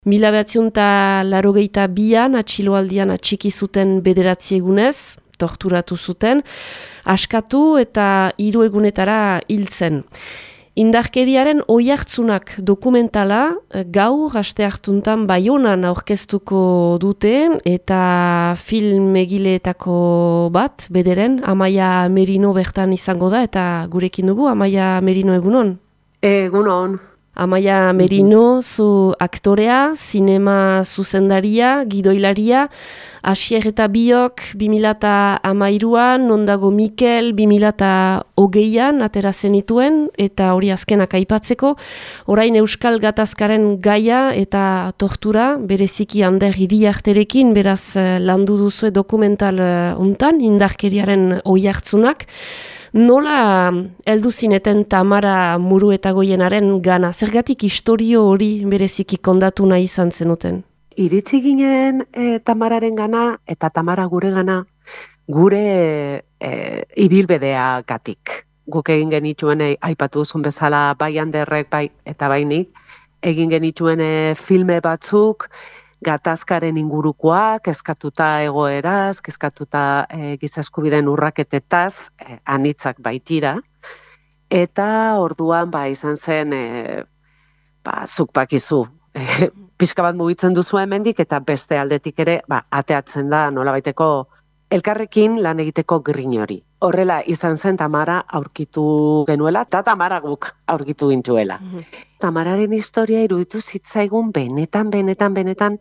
1982an atxiloaldian atxiki zuten 9 egunez, torturatu zuten, askatu eta 3 egunetara hil zen. Indarkeriaren oihartzunak dokumentala gaur asteartuntan Baionan aurkeztuko dute eta film egileetako bat, bederen, Amaia Merino bertan izango da eta gurekin dugu, Amaia Merino egunon? Egunon. Amaia Merino, zu aktorea, zinema zuzendaria, gidoilaria, Asier eta Biok 2013an, Nondago Mikel 2020an atera zenituen, eta hori azkenak aipatzeko, orain Euskal Gatazkaren gaia eta tortura, bereziki Ander Iriarterekin, beraz landu duzue dokumental hontan, indarkeriaren oihartzunak. Nola heldu zineten Tamara Muruetagoienaren gana? Zergatik istorio hori bereziki kondatu nahi izan zenuten? Iritsi ginen Tamararen gana eta Tamara gure gana gure ibilbedeagatik. Guk egin genituen aipatu duzun bezala bai Anderrek bai eta bainik egin genituen filme batzuk gatazkaren ingurukoak, kezkatuta egoeraz, kezkatuta giza eskubideen urraketetaz, anitzak baitira. Eta orduan izan zen, zuk bakizu, pixka bat mugitzen duzu hemendik eta beste aldetik ere ateatzen da nolabaiteko elkarrekin lan egiteko grin hori. Horrela izan zen Tamara aurkitu genuela eta Tamara guk aurkitu gintuela. Tamararen historia iruditu zitzaigun benetan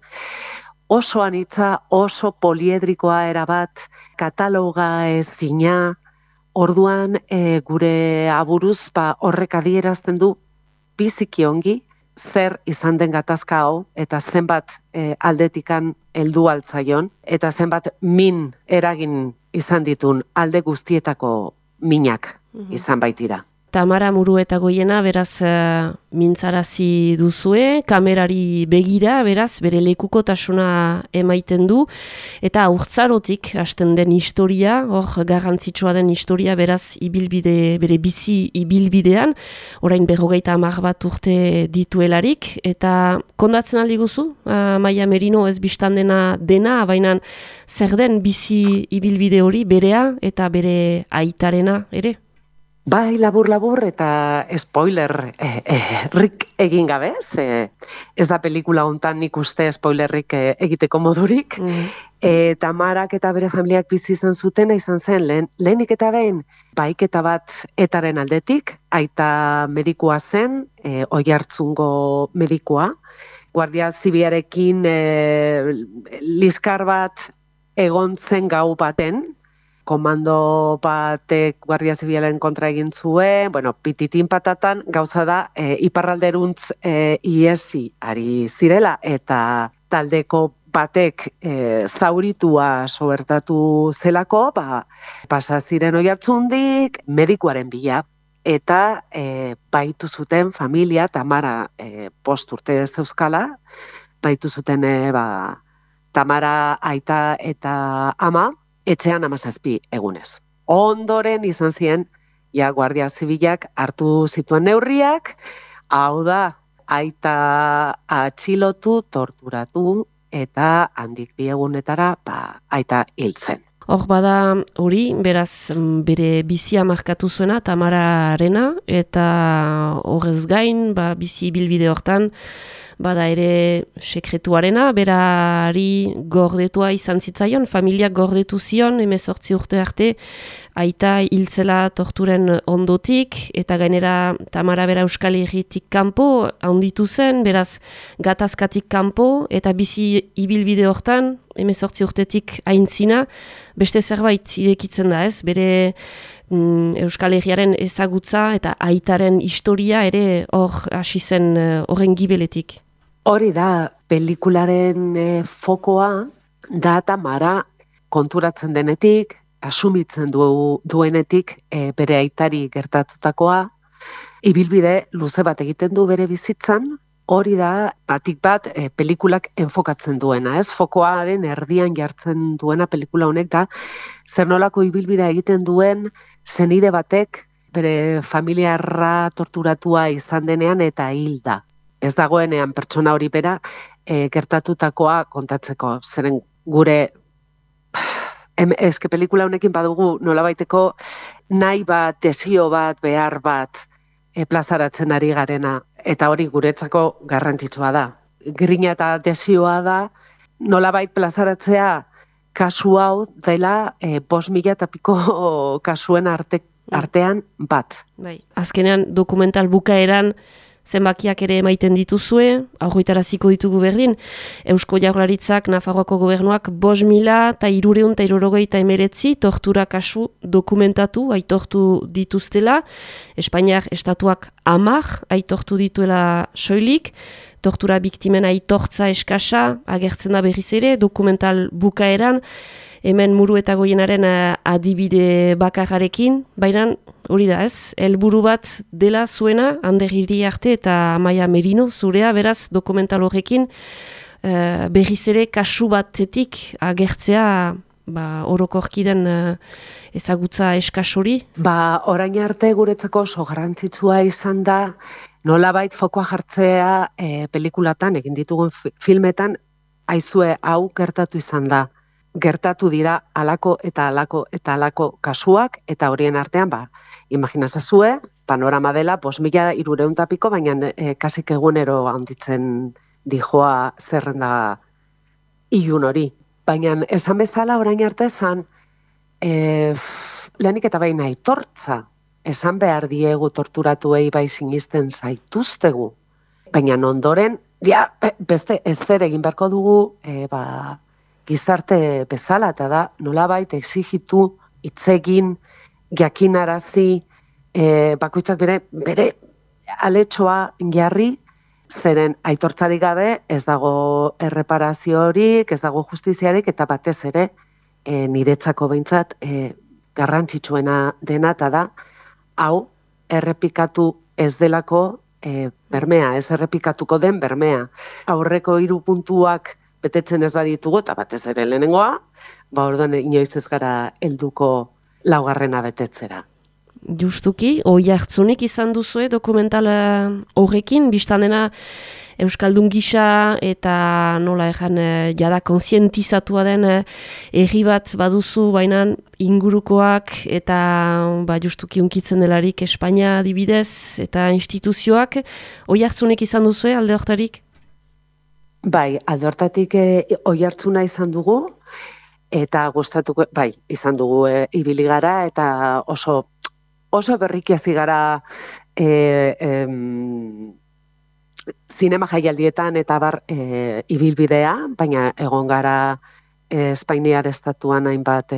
oso anitza, oso poliedrikoa erabat, kataloga ezina, orduan gure aburuz horrek adierazten du biziki ongi zer izan den gatazka hau eta zenbat aldetikan heldu altzaion eta zenbat min eragin izan ditun alde guztietako minak izan baitira. Tamara Muruetagoiena, beraz, mintzarazi duzue, kamerari begira, beraz, bere lekukotasuna emaiten du, eta haurtzarotik hasten den historia, hor garrantzitsua den historia, beraz, bere bizi ibilbidean, orain 50 bat urte dituelarik, eta kondatzen aldi guzu, Amaia Merino ez bistan dena, baina zer den bizi ibilbide hori berea eta bere aitarena ere? Bai, labur eta spoiler rik egin gabe, ez da pelikula hontan nik uste spoilerrik egiteko modurik. Tamarak eta bere familiak bizi izan zutena izan zen lehenik eta behin baiketa bat etaren aldetik, aita medikua zen, Oiartzungo medikua, Guardia Zibilarekin liskar bat egon zen gau baten, komando batek Guardia Zibilaren kontra egin zuen, pititin patatan gauza da iparralderuntz iesi ari zirela eta taldeko batek zauritua sobertatu zelako, pasa ziren Oiartzundik medikuaren bila eta baitu zuten familia, Tamara 5 urte zeuzkala, baitu zuten Tamara aita eta ama, etxean 17 egunez. Ondoren izan ziren, Guardia Zibilak hartu zituen neurriak, hau da, aita atxilotu, torturatu, eta handik 2 egunetara, aita hiltzen. Hor bada hori, beraz, bere bizia markatu zuena, Tamararena, eta horrez gain, bizi bilbide hortan, bada ere sekretuarena, berari gordetua izan zitzaion, familiak gordetu zion, 18 urte arte, aita hiltzela torturen ondotik, eta gainera Tamara bera Euskal Herritik kanpo, handitu zen, beraz gatazkatik kanpo, eta bizi ibilbide hortan, 18 urtetik aintzina, beste zerbait irekitzen da ez, bere Euskal Herriaren ezagutza eta aitaren historia ere hor hasi zen horren gibeletik. Hori da, pelikularen fokoa da Tamara konturatzen denetik, asumitzen duenetik bere aitari gertatutakoa, ibilbide luze bat egiten du bere bizitzan, hori da batik bat pelikulak enfokatzen duena, ez? Fokoaren erdian jartzen duena pelikula honek da, zer nolako ibilbidea egiten duen zenide batek bere familiarra torturatua izan denean eta hilda. Ez dagoenean pertsona hori bera gertatutakoa kontatzeko. Zeren gure eske pelikula honekin badugu nolabaiteko nahi bat, desio bat, behar bat plazaratzen ari garena. Eta hori guretzako garrantzitsua da. Grina eta desioa da nolabait plazaratzea kasu hau dela 5.000 eta piko kasuen artean bat. Bai. Azkenean dokumental bukaeran zenbakiak ere emaiten dituzue, aurritaraziko ditugu berdin, Eusko Jaurlaritzak, Nafarroako gobernuak 5.389 tortura kasu dokumentatu, aitortu dituztela, Espainiar estatuak 10 aitortu dituela soilik, tortura biktimen aitortza eskasa, agertzen da berriz ere, dokumental bukaeran, hemen Muru eta Goienaren adibide bakarrarekin, baina hori da ez, helburu bat dela zuena, Ander Iriarte eta Amaia Merino, zurea, beraz, dokumental horrekin, berriz ere kasu batetik agertzea orokorki den ezagutza eskas hori? Orain arte guretzako oso garrantzitsua izan da, nolabait fokoa jartzea pelikulatan, egin ditugun filmetan, aizue hau gertatu izan da. Gertatu dira alako eta alako eta alako kasuak, eta horien artean, imaginazazue, panorama dela, 5.300 piko, baina kasik egunero handitzen dijoa zerrenda ilun hori. Baina esan bezala orain arte esan, lehenik eta baina aitortza, esan behar diegu torturatuei bai sinisten zaituztegu. Baina ondoren, beste ezer egin beharko dugu, gizarte bezala, eta da nolabait exigitu, itzegin, jakinarazi, bakoitzak bere aletxoa jarri, zeren aitortzarik gabe ez dago erreparaziorik, ez dago justiziarik, eta batez ere niretzako behintzat garrantzitsuena dena, eta da hau errepikatu ez delako bermea, ez errepikatuko den bermea. Aurreko 3 puntuak betetzen ez baditugu, eta batez ere lehenengoa, orduan inoiz ez gara helduko 4. betetzera. Justuki, oihartzunik izan duzue dokumental horrekin, biztan dena Euskaldun gisa eta nola jada kontzientizatua den herri bat baduzu, baina ingurukoak eta justuki unkitzen delarik Espainia adibidez eta instituzioak, oihartzunik izan duzue alde hortarik? Bai, alde hortatik oihartzuna izan dugu, eta gustatuko, izan dugu ibili gara, eta oso berriki hasi gara zinema jaialdietan eta ibilbidea, baina egon gara Espainiar estatuan hainbat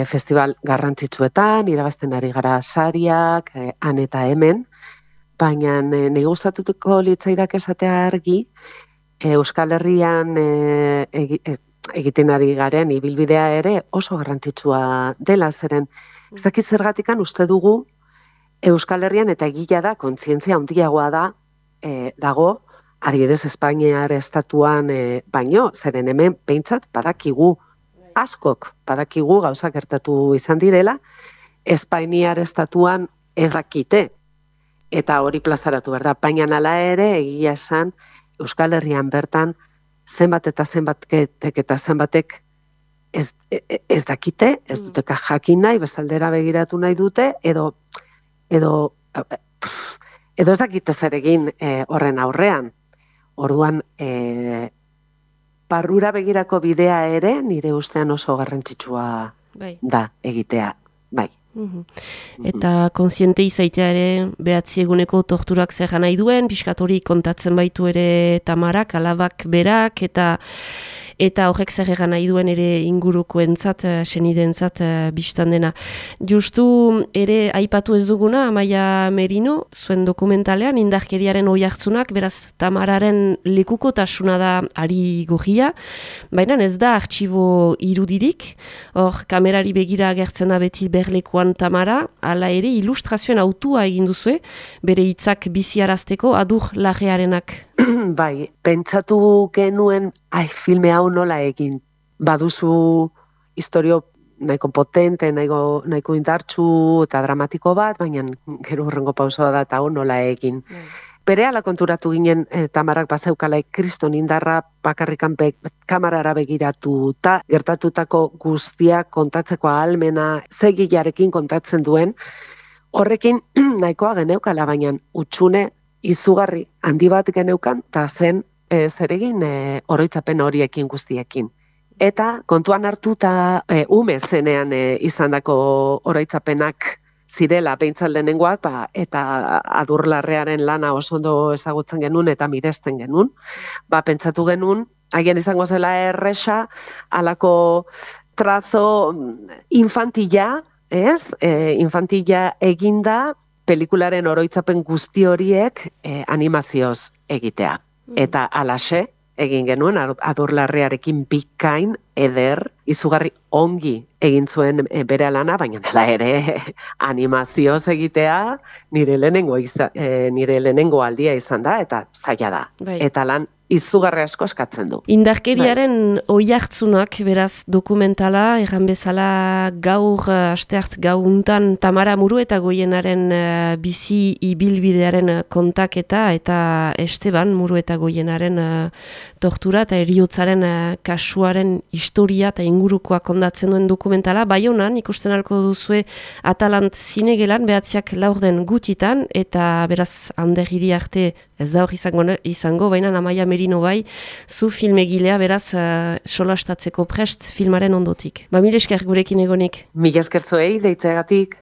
festival garrantzitsuetan, irabazten ari gara sariak, han eta hemen, baina nahi gustatuko litzaidak esatea argi, Euskal Herrian egiten ari garen ibilbidea ere oso garrantzitsua dela, zeren ez dakit zergatikan uste dugu Euskal Herrian, eta egia da, kontzientzia handiagoa dago, adibidez Espainiar estatuan baino, zeren hemen behintzat badakigu, askok badakigu gauzak gertatu izan direla, Espainiar estatuan ez dakite, eta hori plazaratu behar da, baina hala ere egia esan Euskal Herrian bertan zenbat eta zenbatek eta zenbatek ez dakite, ez duteka jakin nahi, bestaldera begiratu nahi dute, edo ez dakite zer egin horren aurrean. Orduan, barrura begirako bidea ere nire ustean oso garrantzitsua da egitea, bai. Eta kontziente izaitea ere behatzi eguneko torturak zer nahi duen, pixkat hori kontatzen baitu ere Tamarak, alabak berak, eta horrek zer nahi duen ere ingurukoentzat, senidentzat bistan dena. Justu ere aipatu ez duguna, Amaia Merino, zuen dokumentalean, indarkeriaren oihartzunak, beraz Tamararen lekukotasuna da ari gorria, baina ez da artxibo irudirik, hor kamerari begira agertzen da beti berlekuan Tamara, hala ere ilustrazioen autua egin duzue, bere hitzak biziarazteko adur larrearenak. Bai, pentsatu genuen, filme hau nola egin. Baduzu historio nahiko potente, nahiko indartsu eta dramatiko bat, baina gero hurrengo pausoa da eta hau nola egin. berehala konturatu ginen Tamarak bazeukala kriston indarra bakarrikan kamarara begiratuta, gertatutako guztiak kontatzeko ahalmena zegilarekin kontatzen duen, horrekin nahikoa geneukala, baina utxune izugarri handi bat geneukan, eta zen zeregin oroitzapen horiekin guztiekin. Eta kontuan hartuta ume zenean izandako oroitzapenak zirela behintzat lehenengoak, eta Adurlarrearen lana oso ondo ezagutzen genuen eta miresten genuen, pentsatu genuen, haien izango zela erresa, alako trazo infantila, infantila eginda, pelikularen oroitzapen guzti horiek animazioz egitea. Eta alaxe, egin genuen, Adurlarrearekin bikain, eder, izugarri ongi egin zuen bere lana, baina nela ere animazioz egitea nire lehenengo aldia izan da, eta zaila da. Bai. Eta lan izugarri asko eskatzen du. Indarkeriaren oihartzunak, beraz, dokumentala, erran bezala gaur, asteart gauntan Tamara Muruetagoienaren bizi ibilbidearen kontaketa, eta Esteban Muruetagoienaren tortura eta heriotzaren kasuaren historia eta ingurukoa kondatzen duen dokumentala. Baionan ikusten alko duzue Atalant zinegelan, behatziak laurden gutitan, eta beraz Ander Iriarte ez da hor izango, baina Amaia Merino bai, zu filmegilea beraz solastatzeko prest filmaren ondotik. Mil esker gurekin egonik. Mil esker zuei, deitzegatik.